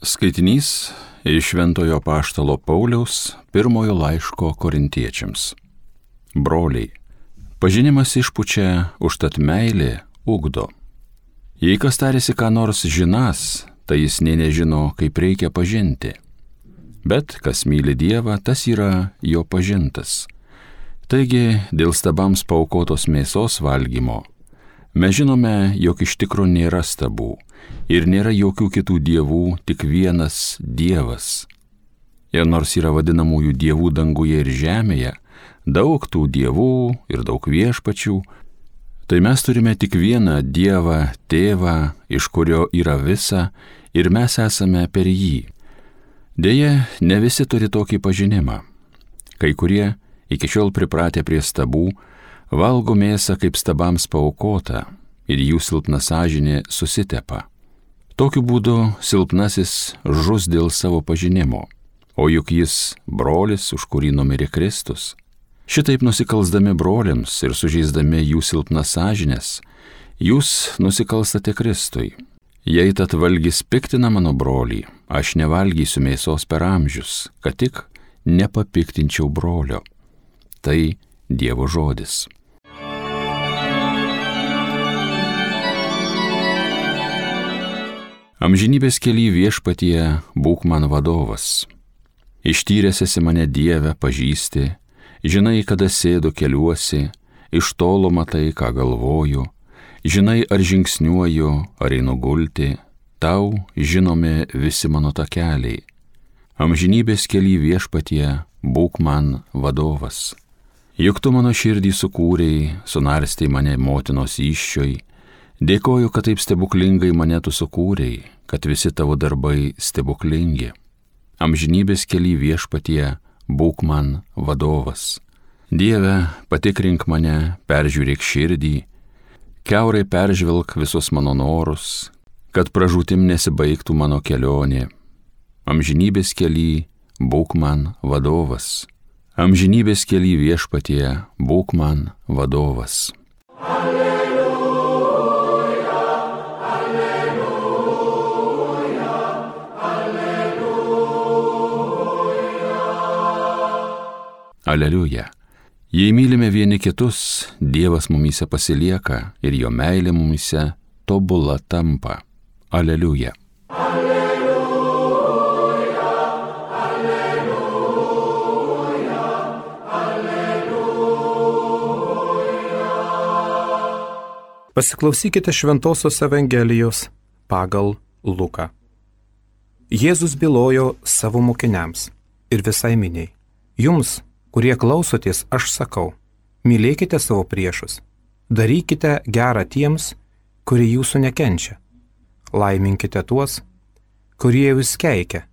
Skaitinys iš Šventojo apaštalo Pauliaus pirmojo laiško Korintiečiams. Broliai, pažinimas išpučia, užtat meilė ugdo. Jei kas tarėsi ką nors žinąs, tai jis nė nežino, kaip reikia pažinti. Bet kas myli Dievą, tas yra jo pažintas. Taigi, dėl stabams paaukotos mėsos valgymo, mes žinome, jog iš tikro nėra stabų ir nėra jokių kitų dievų, tik vienas Dievas. Ir nors yra vadinamųjų dievų danguje ir žemėje, daug tų dievų ir daug viešpačių, tai mes turime tik vieną Dievą, Tėvą, iš kurio yra visa ir mes esame per jį. Deja, ne visi turi tokį pažinimą. Kai kurie, iki šiol pripratę prie stabų, valgo mėsą kaip stabams paaukota ir jų silpna sąžinė susitepa. Tokiu būdu silpnasis žus dėl savo pažinimo, o juk jis brolis, už kurį numirė Kristus. Šitaip nusikalsdami broliams ir sužeisdami jų silpnas sąžinės, jūs nusikalstate Kristui. Jei tad valgys piktina mano brolį, aš nevalgysiu mėsos per amžius, kad tik nepapiktinčiau brolio. Tai Dievo žodis. Amžinybės kely viešpatie būk man vadovas. Ištyręs esi mane Dieve pažįsti, žinai, kada sėdu keliuosi, iš tolo matai, ką galvoju, žinai, ar žingsniuoju, ar einu gulti, tau žinomi visi mano takeliai. Amžinybės kely viešpatie būk man vadovas. Juk tu mano širdį sukūrei, sunarstei mane motinos įsčioj, dėkoju, kad taip stebuklingai mane tu sukūrei, kad visi tavo darbai stebuklingi. Amžinybės kely viešpatie būk man vadovas. Dieve, patikrink mane, peržiūrėk širdį, kiaurai peržvelk visus mano norus, kad pražūtim nesibaigtų mano kelionė. Amžinybės kely būk man vadovas. Amžinybės kely viešpatie būk man vadovas. Aleliuja. Jei mylime vieni kitus, Dievas mumyse pasilieka ir jo meilė mumyse tobula tampa. Aleliuja. Aleliuja, aleliuja, aleliuja. Pasiklausykite Šventosios Evangelijos pagal Luką. Jėzus bylojo savo mokiniams ir visai miniai. Jums, kurie klausotės, aš sakau, mylėkite savo priešus, darykite gerą tiems, kurie jūsų nekenčia, laiminkite tuos, kurie jūs keikia,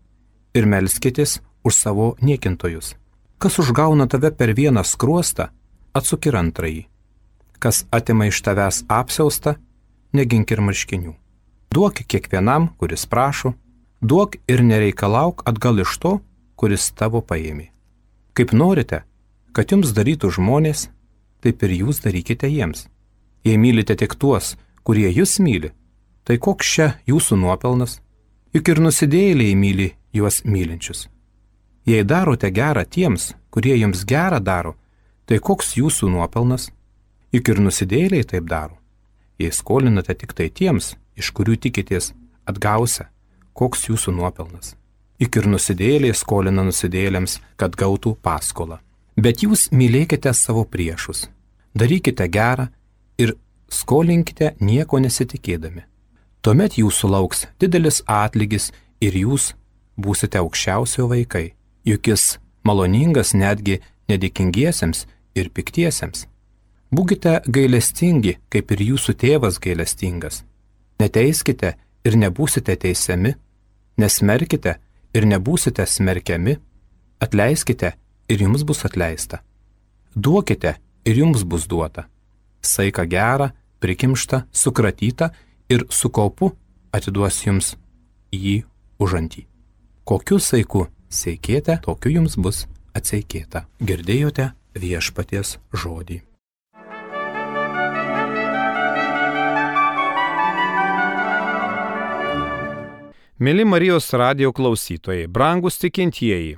ir melskitės už savo niekintojus. Kas užgauna tave per vieną skruostą, atsuk ir antrąjį. Kas atima iš tavęs apsiaustą, negink ir marškinių. Duok kiekvienam, kuris prašo, duok ir nereikalauk atgal iš to, kuris tavo paėmė. Kaip norite, kad jums darytų žmonės, taip ir jūs darykite jiems. Jei mylite tik tuos, kurie jūs myli, tai koks čia jūsų nuopelnas? Juk ir nusidėjėliai myli juos mylinčius. Jei darote gerą tiems, kurie jums gerą daro, tai koks jūsų nuopelnas? Juk ir nusidėjėliai taip daro. Jei skolinate tik tai tiems, iš kurių tikitės atgausia, koks jūsų nuopelnas? Juk ir nusidėjėliai skolina nusidėjėliams, kad gautų paskolą. Bet jūs mylėkite savo priešus, darykite gerą ir skolinkite nieko nesitikėdami. Tuomet jūsų lauks didelis atlygis ir jūs būsite aukščiausio vaikai, juk jis maloningas netgi nedėkingiesiems ir piktiesiems. Būkite gailestingi, kaip ir jūsų tėvas gailestingas. Neteiskite ir nebūsite teisiami, nesmerkite ir nebūsite smerkiami, atleiskite ir jums bus atleista. Duokite ir jums bus duota. Saiką gerą, prikimštą, sukratytą ir su kaupu atiduos jums jį užantį. Kokiu saiku seikėte, tokiu jums bus atseikėta. Girdėjote viešpaties žodį. Mėly Marijos radijo klausytojai, brangūs tikintieji,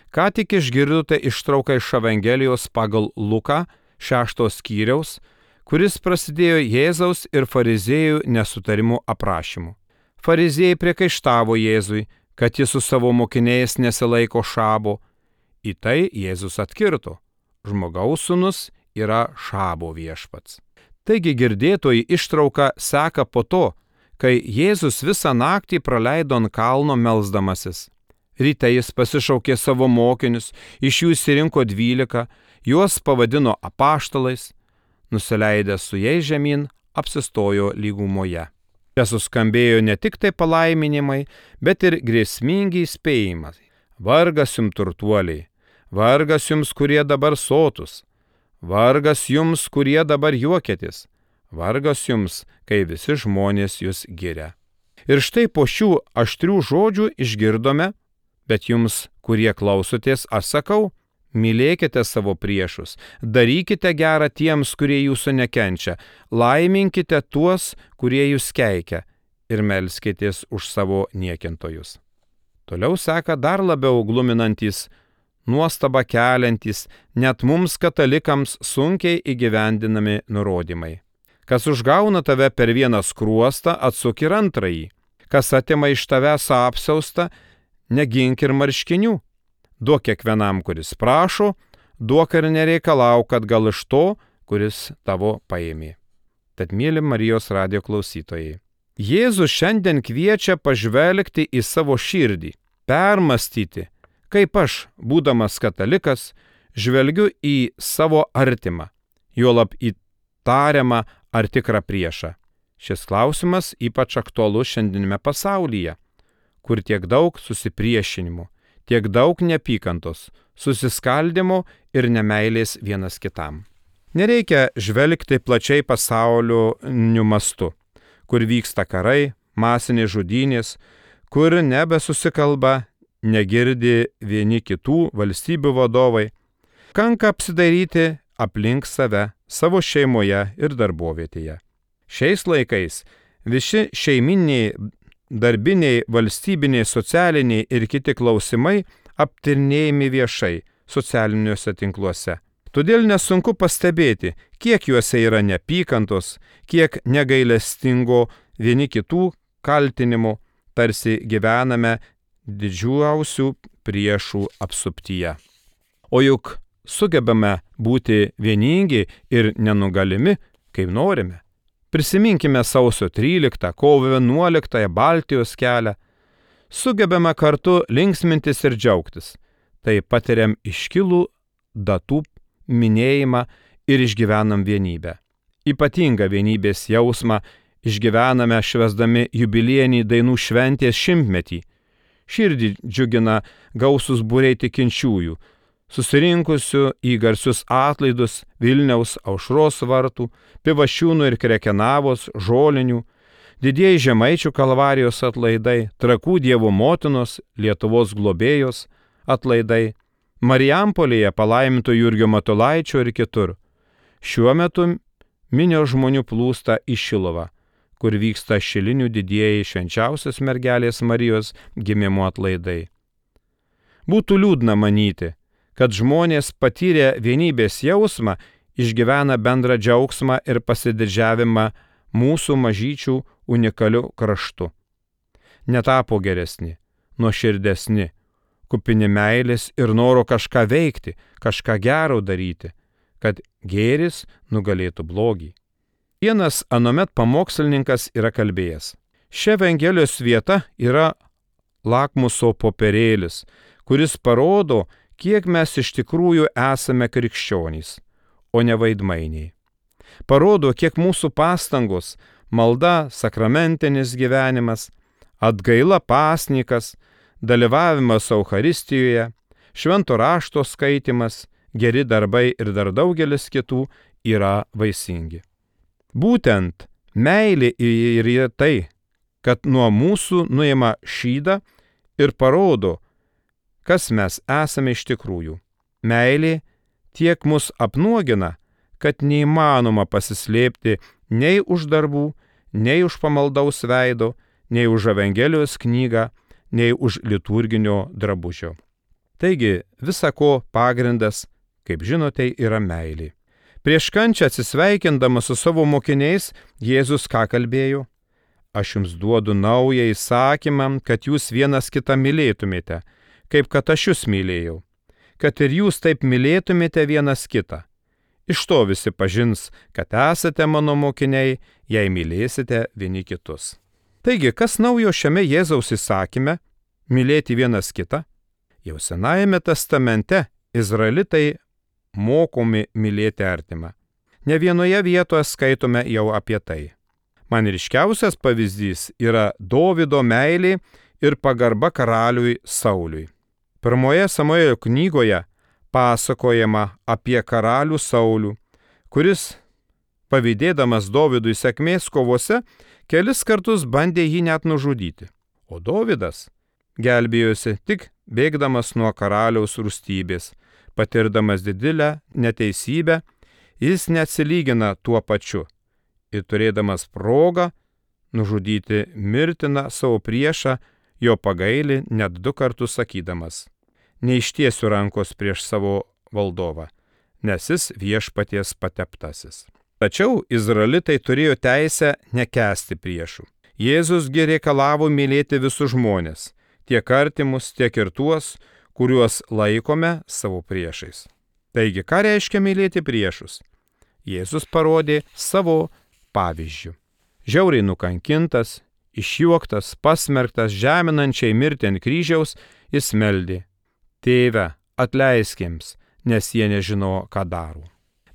ką tik išgirdote ištrauką iš Evangelijos pagal Luką 6 skyriaus, kuris prasidėjo Jėzaus ir fariziejų nesutarimų aprašymu. Fariziejai priekaištavo Jėzui, kad jis su savo mokiniais nesilaiko šabo. Į tai Jėzus atkirto: žmogaus sūnus yra šabo viešpats. Taigi girdėtoji ištrauka seka po to, kai Jėzus visą naktį praleido ant kalno melsdamasis. Ryte jis pasišaukė savo mokinius, iš jų išsirinko 12, juos pavadino apaštalais, nusileidęs su jais žemyn, apsistojo lygumoje. Čia suskambėjo ne tik tai palaiminimai, bet ir grėsmingi įspėjimai. Vargas jums turtuoliai, vargas jums, kurie dabar sotus, vargas jums, kurie dabar juokėtis, vargas jums, kai visi žmonės jūs giria. Ir štai po šių aštrių žodžių išgirdome, bet jums, kurie klausotės, aš sakau, mylėkite savo priešus, darykite gerą tiems, kurie jūsų nekenčia, laiminkite tuos, kurie jūs keikia, ir melskitės už savo niekintojus. Toliau seka dar labiau gluminantys, nuostabą keliantys, net mums katalikams sunkiai įgyvendinami nurodymai. Kas užgauna tave per vieną skruostą, atsuk ir antrąjį. Kas atima iš tavęs apsiaustą, negink ir marškinių. Duok kiekvienam, kuris prašo, duok ir nereikalauk, kad gal iš to, kuris tavo paėmė. Tad mėly Marijos radijo klausytojai, Jėzus šiandien kviečia pažvelgti į savo širdį, permastyti, kaip aš, būdamas katalikas, žvelgiu į savo artimą, juolab į tariamą ar tikrą priešą. Šis klausimas ypač aktualus šiandienime pasaulyje, kur tiek daug susipriešinimų, tiek daug neapykantos, susiskaldimo ir nemeilės vienas kitam. Nereikia žvelgti plačiai pasauliniu mastu, kur vyksta karai, masinės žudynės, kur nebesusikalba, negirdi vieni kitų valstybių vadovai. Kanka apsidairyti aplink save, savo šeimoje ir darbovietėje. Šiais laikais visi šeiminiai, darbiniai, valstybiniai, socialiniai ir kiti klausimai aptarinėjami viešai socialiniuose tinkluose. Todėl nesunku pastebėti, kiek juose yra neapykantos, kiek negailestingo vieni kitų kaltinimų, tarsi gyvename didžiausių priešų apsuptyje. O juk sugebame būti vieningi ir nenugalimi, kaip norime. Prisiminkime sausio 13, kovo 11 Baltijos kelią. Sugebame kartu linksmintis ir džiaugtis. Tai patiriam iškilų datų minėjimą ir išgyvenam vienybę. Ypatingą vienybės jausmą išgyvename švęsdami jubiliejinį dainų šventės 100-metį. Širdį džiugina gausūs būriai tikinčiųjų, susirinkusių į garsius atlaidus Vilniaus Aušros vartų, Pivašiūnų ir Krekenavos, Žolinių, didieji Žemaičių Kalvarijos atlaidai, Trakų Dievo motinos, Lietuvos globėjos atlaidai, Marijampolėje palaiminto Jurgio Matulaičio ir kitur. Šiuo metu minios žmonių plūsta į Šiluvą, kur vyksta šilinių didieji švenčiausios mergelės Marijos gimimo atlaidai. Būtų liūdna manyti, kad žmonės patyrę vienybės jausmą išgyvena bendrą džiaugsmą ir pasididžiavimą mūsų mažyčių unikaliu kraštu. Netapo geresni, nuoširdesni, kupini meilės ir noro kažką veikti, kažką gero daryti, kad gėris nugalėtų blogį. Vienas anuomet pamokslininkas yra kalbėjęs: ši Evangelijos vieta yra lakmuso popierėlis, kuris parodo, kiek mes iš tikrųjų esame krikščionys, o ne vaidmainiai. Parodo, kiek mūsų pastangos, malda, sakramentinis gyvenimas, atgaila pasnikas, dalyvavimas Eucharistijoje, švento rašto skaitimas, geri darbai ir dar daugelis kitų yra vaisingi. Būtent meilė ir yra tai, kad nuo mūsų nuima šydą ir parodo, kas mes esame iš tikrųjų. Meilė tiek mus apnuogina, kad neįmanoma pasislėpti nei už darbų, nei už pamaldaus veido, nei už Evangelijos knygą, nei už liturginio drabužio. Taigi, visa ko pagrindas, kaip žinote, yra meilė. Prieš kančią atsisveikindamas su savo mokiniais, Jėzus ką kalbėjo? Aš jums duodu naują įsakymą, kad jūs vienas kitą mylėtumėte, kaip kad aš jūs mylėjau. Kad ir jūs taip mylėtumėte vienas kitą. Iš to visi pažins, kad esate mano mokiniai, jei mylėsite vieni kitus. Taigi, kas naujo šiame Jėzaus įsakyme - mylėti vienas kitą? Jau Senajame testamente izraelitai mokomi mylėti artimą. Ne vienoje vietoje skaitome jau apie tai. Man ryškiausias pavyzdys yra Dovydo meilė ir pagarba karaliui Sauliui. Pirmoje Samuelio knygoje pasakojama apie karalių Saulių, kuris, pavydėdamas Dovydui sėkmės kovose, kelis kartus bandė jį net nužudyti. O Dovydas gelbėjosi tik bėgdamas nuo karaliaus rūstybės, patirdamas didelę neteisybę, jis neatsilygina tuo pačiu ir turėdamas progą nužudyti mirtiną savo priešą, jo pagaili net 2 kartus sakydamas: neištiesiu rankos prieš savo valdovą, nes jis viešpaties pateptasis. Tačiau izraelitai turėjo teisę nekęsti priešų. Jėzusgi reikalavo mylėti visus žmones, tiek artimus, tiek ir tuos, kuriuos laikome savo priešais. Taigi, ką reiškia mylėti priešus? Jėzus parodė savo pavyzdžių. Žiauriai nukankintas, išjuoktas, pasmerktas žeminančiai mirti ant kryžiaus, jis meldė: Tėve, atleisk jiems, nes jie nežino, ką daro.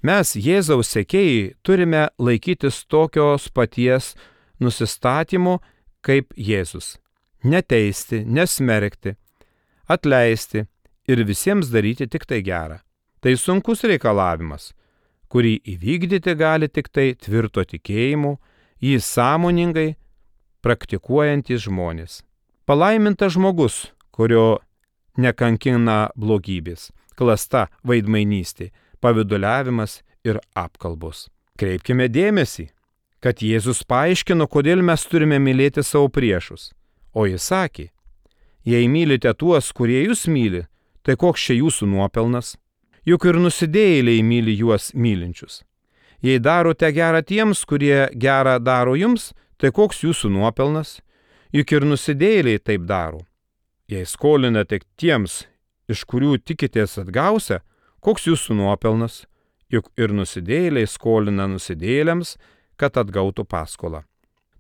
Mes, Jėzaus sekėjai, turime laikytis tokios paties nusistatymo kaip Jėzus. Neteisti, nesmerkti, atleisti ir visiems daryti tik tai gerą. Tai sunkus reikalavimas, kurį įvykdyti gali tik tai tvirto tikėjimu, jį sąmoningai praktikuojantys žmonės. Palaimintas žmogus, kurio nekankina blogybės, klasta, veidmainystė, pavyduliavimas ir apkalbos. Kreipkime dėmesį, kad Jėzus paaiškino, kodėl mes turime mylėti savo priešus. O jis sakė: jei mylite tuos, kurie jūs myli, tai koks čia jūsų nuopelnas? Juk ir nusidėjėliai myli juos mylinčius. Jei darote gerą tiems, kurie gerą daro jums, tai koks jūsų nuopelnas? Juk ir nusidėjėliai taip daro. Jei skolinate tiems, iš kurių tikitės atgausia, koks jūsų nuopelnas? Juk ir nusidėjėliai skolina nusidėjėliams, kad atgautų paskolą.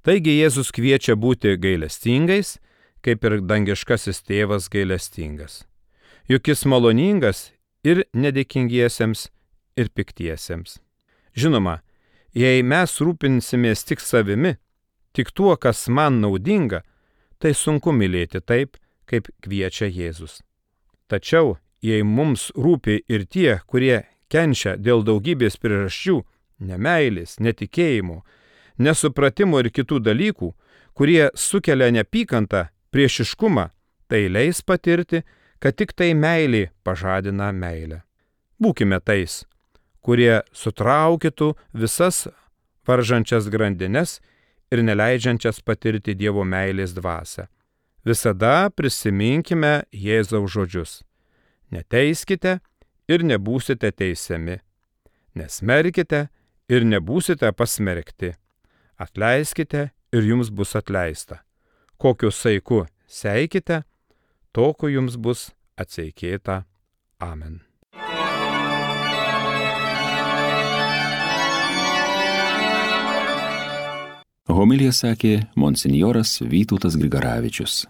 Taigi Jėzus kviečia būti gailestingais, kaip ir dangiškasis tėvas gailestingas. Juk jis maloningas ir nedėkingiesiems, ir piktiesiems. Žinoma, jei mes rūpinsimės tik savimi, tik tuo, kas man naudinga, tai sunku mylėti taip, kaip kviečia Jėzus. Tačiau, jei mums rūpi ir tie, kurie kenčia dėl daugybės priežasčių, nemeilės, netikėjimo, nesupratimo ir kitų dalykų, kurie sukelia neapykantą, priešiškumą, tai leis patirti, kad tik tai meilė pažadina meilę. Būkime tais, kurie sutraukytų visas varžančias grandines ir neleidžiančias patirti Dievo meilės dvasią. Visada prisiminkime Jėzaus žodžius: neteiskite ir nebūsite teisiami, nesmerkite ir nebūsite pasmerkti, atleiskite ir jums bus atleista. Kokiu saiku seikite, tokiu jums bus atseikėta. Amen. Homiliją sakė monsinjoras Vytautas Grigaravičius.